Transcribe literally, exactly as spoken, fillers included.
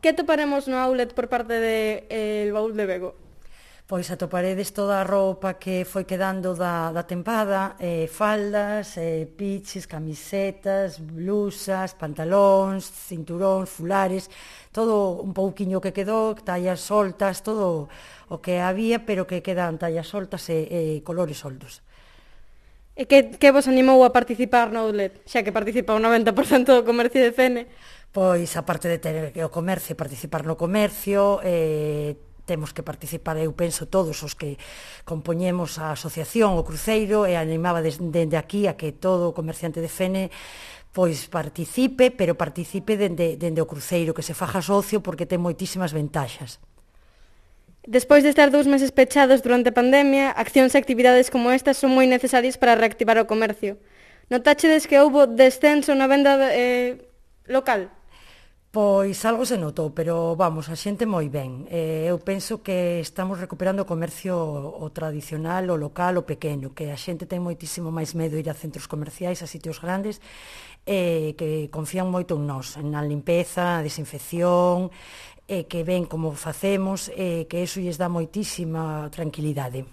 Que atoparemos no outlet por parte de eh, El Baúl de Bego? Pois atoparedes toda a roupa que foi quedando da, da tempada, eh, faldas, eh, piches, camisetas, blusas, pantalóns, cinturóns, fulares, todo un pouquiño que quedou, tallas soltas, todo o que había, pero que quedan tallas soltas e, e colores soldos. E que, que vos animou a participar no outlet, xa que participa o noventa por cento do comercio de Fene? Pois, aparte de ter o comercio, participar no comercio, eh, temos que participar, eu penso, todos os que compoñemos a asociación, o cruceiro, e animaba desde, desde aquí a que todo o comerciante de Fene pois participe, pero participe dende, dende o cruceiro, que se faja socio, porque ten moitísimas ventaxas. Despois de estar dous meses pechados durante a pandemia, accións e actividades como estas son moi necesarias para reactivar o comercio. Notáchedes que houbo descenso na venda eh, local? Pois algo se notou, pero vamos, a xente moi ben. Eh, eu penso que estamos recuperando o comercio o tradicional, o local, o pequeno, que a xente ten moitísimo máis medo ir a centros comerciais, a sitios grandes, eh, que confían moito en nós, na limpeza, na desinfección, e que ven como facemos, e que iso lles dá moitísima tranquilidade.